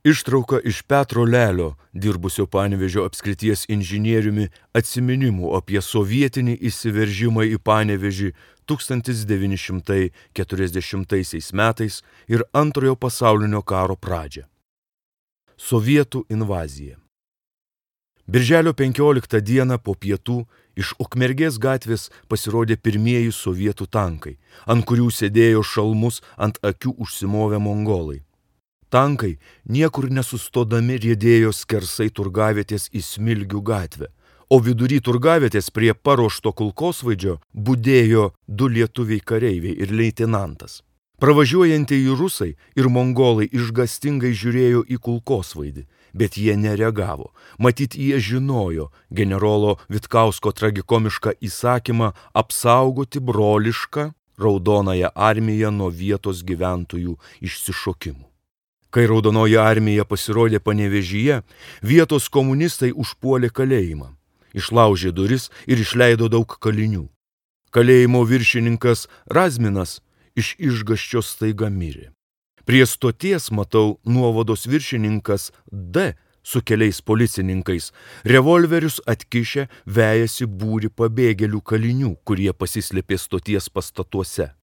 Ištrauka iš Petro Lelio, dirbusio Panevėžio apskrities inžinieriumi, atsiminimų apie sovietinį įsiveržimą į Panevėžį 1940 metais ir Antrojo pasaulinio karo pradžią. Sovietų invazija. Birželio 15 dieną po pietų iš Ukmergės gatvės pasirodė pirmieji sovietų tankai, ant kurių sėdėjo šalmus ant akių užsimovę mongolai. Tankai niekur nesustodami riedėjo skersai turgavietės į Smilgių gatvę, o vidury turgavietės prie paruošto kulkosvaidžio budėjo 2 lietuviai kareiviai ir leitenantas. Pravažiuojantieji rusai ir mongolai išgąstingai žiūrėjo į kulkosvaidį, bet jie nereagavo. Matyt, jie žinojo generolo Vitkausko tragikomišką įsakymą apsaugoti brolišką Raudonąją armiją nuo vietos gyventojų išsišokimų. Kai Raudonoji armija pasirodė Panevėžyje, vietos komunistai užpuolė kalėjimą, išlaužė duris ir išleido daug kalinių. Kalėjimo viršininkas Razminas iš išgąsčio staiga mirė. Prie stoties, matau, nuovados viršininkas D su keliais policininkais revolverius atkišę vejasi būrį pabėgėlių kalinių, kurie pasislėpė stoties pastatuose.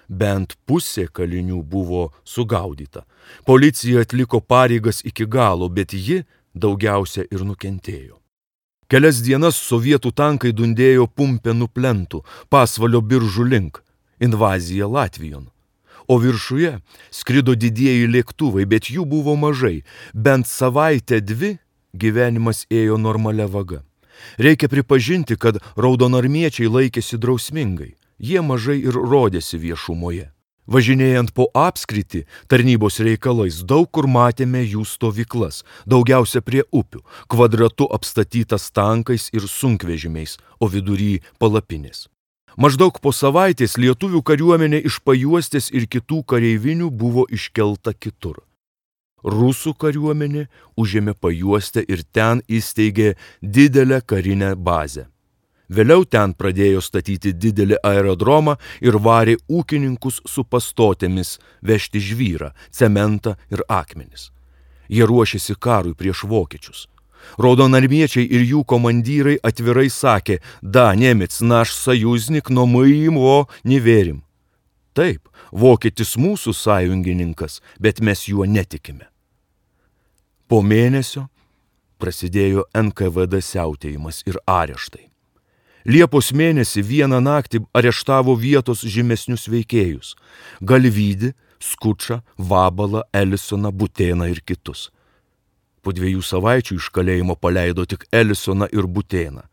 Bent pusė kalinių buvo sugaudyta. Policija atliko pareigas iki galo, bet ji daugiausia ir nukentėjo. Kelias dienas sovietų tankai dundėjo Pumpėnų plentų, Pasvalio biržų link, invazija Latvijon. O viršuje skrido didieji lėktuvai, bet jų buvo mažai. Bent savaitę 2 gyvenimas ėjo normalia vaga. Reikia pripažinti, kad raudonarmiečiai laikėsi drausmingai. Jie mažai ir rodėsi viešumoje. Važinėjant po apskritį tarnybos reikalais daug kur matėme jų stovyklas, daugiausia prie upių, kvadratu apstatytas tankais ir sunkvežimiais, o vidury palapinės. Maždaug po savaitės lietuvių kariuomenė iš Pajuostės ir kitų kareivinių buvo iškelta kitur. Rusų kariuomenė užėmė Pajuostę ir ten įsteigė didelę karinę bazę. Vėliau ten pradėjo statyti didelį aerodromą ir varė ūkininkus su pastotėmis vežti žvyrą, cementą ir akmenis. Jie ruošėsi karui prieš vokiečius. Raudonarmiečiai ir jų komandyrai atvirai sakė: "Da, Nemec, naš sajuznik, но мы его не верим." Taip, vokietis mūsų sąjungininkas, bet mes juo netikime. Po mėnesio prasidėjo NKVD siautėjimas ir areštai. Liepos mėnesį vieną naktį areštavo vietos žymesnius veikėjus – Galvydį, Skučą, Vabalą, Elisoną, Butėną ir kitus. Po 2 savaičių iš kalėjimo paleido tik Elisoną ir Butėną.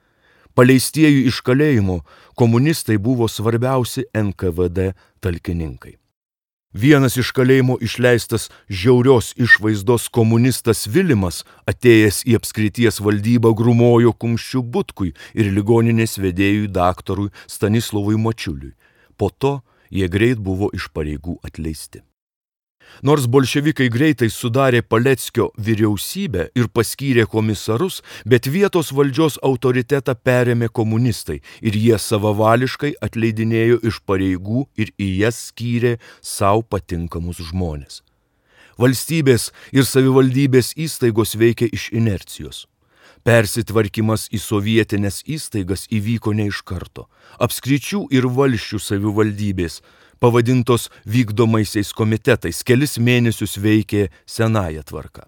Paleistieji iš kalėjimo komunistai buvo svarbiausi NKVD talkininkai. Vienas iš kalėjimo išleistas žiaurios išvaizdos komunistas Vilimas, atėjęs į apskrities valdybą, grūmojo kumščiu Butkui ir ligoninės vedėjui daktarui Stanislovui Mačiuliui. Po to jie greit buvo iš pareigų atleisti. Nors bolševikai greitai sudarė Paleckio vyriausybę ir paskyrė komisarus, bet vietos valdžios autoritetą perėmė komunistai ir jie savavališkai atleidinėjo iš pareigų ir į jas skyrė savo patinkamus žmones. Valstybės ir savivaldybės įstaigos veikė iš inercijos. Persitvarkymas į sovietinės įstaigas įvyko ne iš karto. Apskričių ir valsčių savivaldybės, pavadintos vykdomaisiais komitetais, kelis mėnesius veikė senąją tvarką.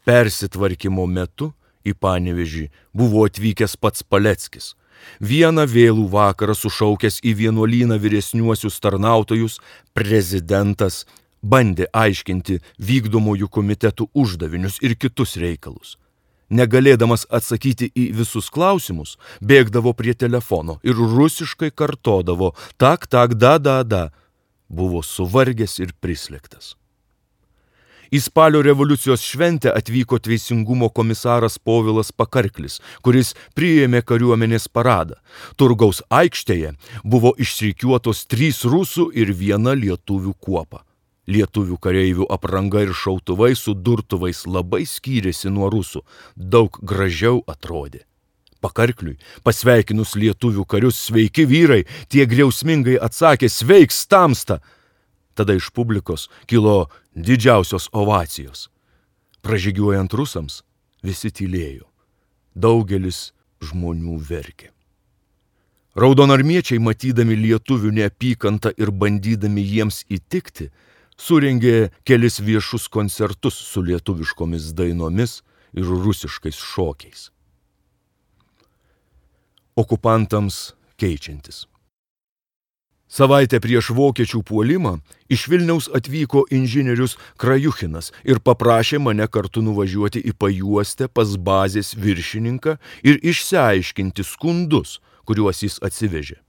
Persitvarkymo metu į Panevėžį buvo atvykęs pats Paleckis. Vieną vėlų vakarą sušaukęs į vienuolyną vyresniuosius tarnautojus, prezidentas bandė aiškinti vykdomųjų komitetų uždavinius ir kitus reikalus. Negalėdamas atsakyti į visus klausimus, bėgdavo prie telefono ir rusiškai kartodavo tak, da. Buvo suvargęs ir prislėgtas. Į spalio revoliucijos šventę atvyko teisingumo komisaras Povilas Pakarklis, kuris priėmė kariuomenės paradą. Turgaus aikštėje buvo išrikiuotos 3 rusų ir 1 lietuvių kuopa. Lietuvių kareivių apranga ir šautuvai su durtuvais labai skyrėsi nuo rusų, daug gražiau atrodė. Pakarkliui, pasveikinus lietuvių karius: "Sveiki vyrai", tie griausmingai atsakė: "Sveiks tamsta." Tada iš publikos kilo didžiausios ovacijos. Pražygiuojant rusams, visi tylėjo. Daugelis žmonių verkė. Raudonarmiečiai, matydami lietuvių neapykantą ir bandydami jiems įtikti, surengė kelis viešus koncertus su lietuviškomis dainomis ir rusiškais šokiais. Okupantams keičiantis. Savaitę prieš vokiečių puolimą iš Vilniaus atvyko inžinierius Krajuchinas ir paprašė mane kartu nuvažiuoti į Pajuostę pas bazės viršininką ir išsiaiškinti skundus, kuriuos jis atsivežė.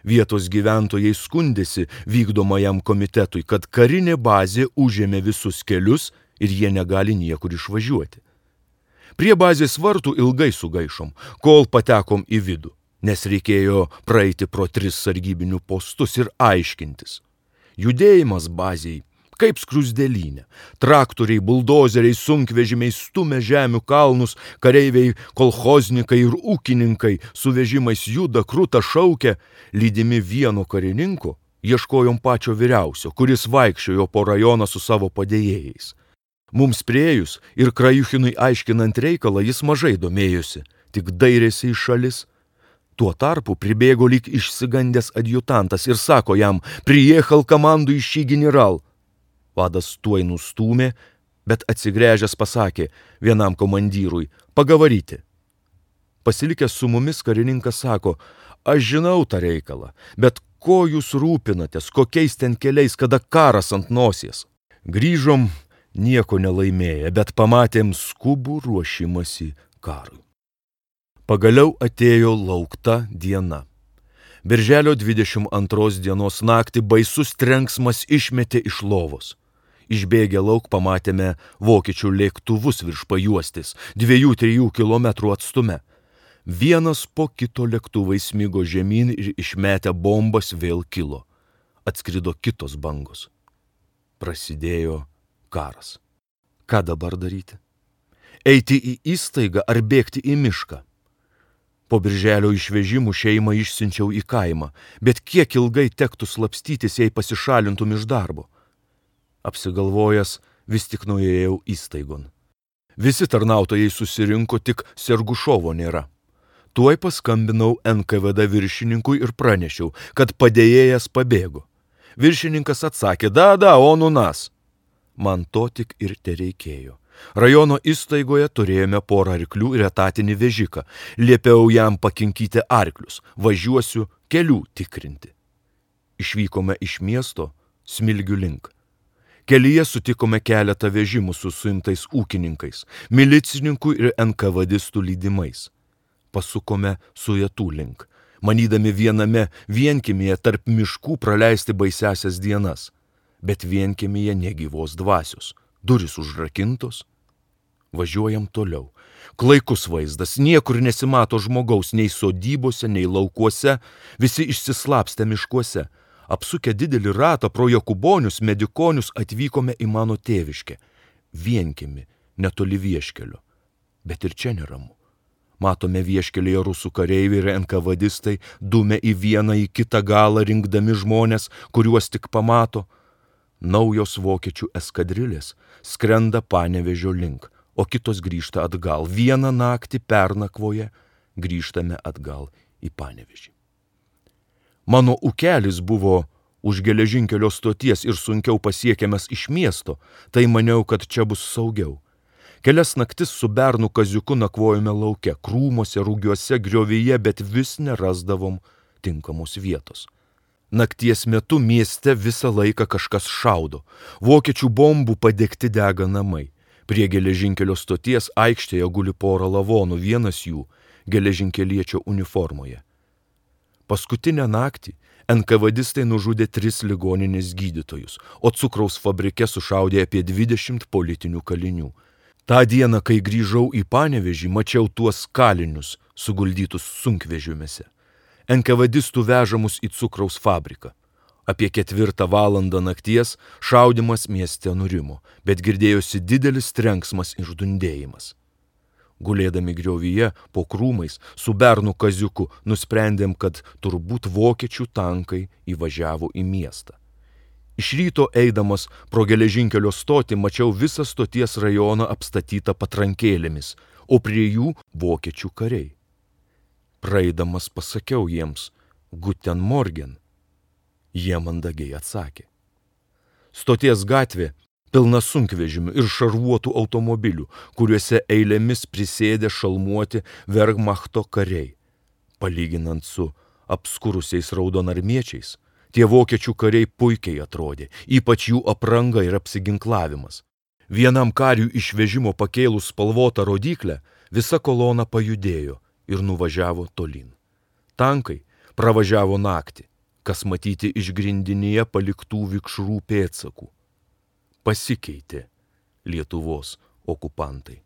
Vietos gyventojai skundėsi vykdomajam komitetui, kad karinė bazė užėmė visus kelius ir jie negali niekur išvažiuoti. Prie bazės vartų ilgai sugaišom, kol patekom į vidų, nes reikėjo praeiti pro 3 sargybinių postus ir aiškintis. Judėjimas bazėj kaip skruzdėlynė. Traktoriai, buldozeriai, sunkvežimiai stumia žemių kalnus, kareiviai, kolchoznikai ir ūkininkai su vežimais juda, kruta šaukia, lydimi vieno karininko, ieškojom pačio vyriausio, kuris vaikščiojo po rajoną su savo padėjėjais. Mums priėjus ir Krajuchinui aiškinant reikalą, jis mažai domėjosi, tik dairėsi į šalis. Tuo tarpu pribėgo lyg išsigandęs adjutantas ir sako jam, priехал команду ищи генерал. Vadas tuoj nustūmė, bet atsigręžęs pasakė vienam komandyrui, pagavaryti. Pasilikęs su mumis karininkas sako, aš žinau tą reikalą, bet ko jūs rūpinatės, kokiais ten keliais, kada karas ant nosies. Grįžom nieko nelaimėję, bet pamatėm skubų ruošimąsi karui. Pagaliau atėjo laukta diena. Birželio 22 dienos naktį baisus trenksmas išmetė iš lovos. Išbėgę lauk pamatėme vokiečių lėktuvus virš Pajuostės, 2-3 kilometrų atstume. Vienas po kito lėktuvai smigo žemyn ir išmetę bombas vėl kilo. Atskrido kitos bangos. Prasidėjo karas. Ką dabar daryti? Eiti į įstaigą ar bėgti į mišką? Po birželio išvežimų šeimą išsiunčiau į kaimą, bet kiek ilgai tektų slapstytis, jei pasišalintum iš darbo. Apsigalvojęs, vis tik nuėjau įstaigon. Visi tarnautojai susirinko, tik Sergušovo nėra. Tuoj paskambinau NKVD viršininkui ir pranešiau, kad padėjėjas pabėgo. Viršininkas atsakė, da, on u nas. Man to tik ir tereikėjo. Rajono įstaigoje turėjome porą arklių ir etatinį vežiką. Liepiau jam pakinkyti arklius, važiuosiu kelių tikrinti. Išvykome iš miesto Smilgių link. Kelyje sutikome keletą vežimų su suimtais ūkininkais, milicininkų ir NKVDistų lydimais. Pasukome Sujetų link, manydami viename vienkiemyje tarp miškų praleisti baisiasias dienas. Bet vienkiemyje negyvos dvasios. Durys užrakintos, važiuojam toliau. Klaikus vaizdas, niekur nesimato žmogaus, nei sodybose, nei laukuose, visi išsislapstę miškuose. Apsukę didelį ratą pro Jokubonius, Medikonius atvykome į mano tėviškę. Vienkiemį, netoli Vieškelio. Bet ir čia neramu. Matome Vieškelėje rusų kareiviai ir NKVDistai dumia į vieną į kitą galą, rinkdami žmonės, kuriuos tik pamato. Naujos vokiečių eskadrilės skrenda Panevėžio link, o kitos grįžta atgal. Vieną naktį pernakvoje grįžtame atgal į Panevėžį. Mano ūkelis buvo už geležinkelio stoties ir sunkiau pasiekiamas iš miesto, tai maniau, kad čia bus saugiau. Kelias naktis su bernu Kaziuku nakvojome lauke, krūmuose, rūgiuose, griovyje, bet vis nerasdavom tinkamos vietos. Nakties metu mieste visą laiką kažkas šaudo. Vokiečių bombų padegti dega namai. Prie geležinkelio stoties aikštėje guli pora lavonų, vienas jų geležinkeliečio uniformoje. Paskutinę naktį NKVDistai nužudė 3 ligoninės gydytojus, o cukraus fabrike sušaudė apie 20 politinių kalinių. Ta dieną, kai grįžau į Panevėžį, mačiau tuos kalinius suguldytus sunkvežimiuose. NKVDistų vežamus į cukraus fabriką. Apie 4 valandą nakties šaudimas mieste nurimo, bet girdėjosi didelis trenksmas ir dundėjimas. Gulėdami griovyje po krūmais su bernu Kaziuku nusprendėm, kad turbūt vokiečių tankai įvažiavo į miestą. Iš ryto eidamas pro geležinkelio stotį mačiau visą stoties rajoną apstatytą patrankėlėmis, o prie jų vokiečių kariai. Praeidamas pasakiau jiems Guten Morgen. Jie mandagiai atsakė. Stoties gatvė pilna sunkvežimių ir šarvuotų automobilių, kuriuose eilėmis prisėdė šalmuoti Wehrmachto kariai. Palyginant su apskurusiais raudonarmiečiais, tie vokiečių kariai puikiai atrodė, ypač jų apranga ir apsiginklavimas. Vienam kariui iš vežimo pakėlus spalvotą rodyklę, visa kolona pajudėjo ir nuvažiavo tolyn. Tankai pravažiavo naktį, kas matyti iš grindinyje paliktų vikšrų pėdsakų. Pasikeitė Lietuvos okupantai.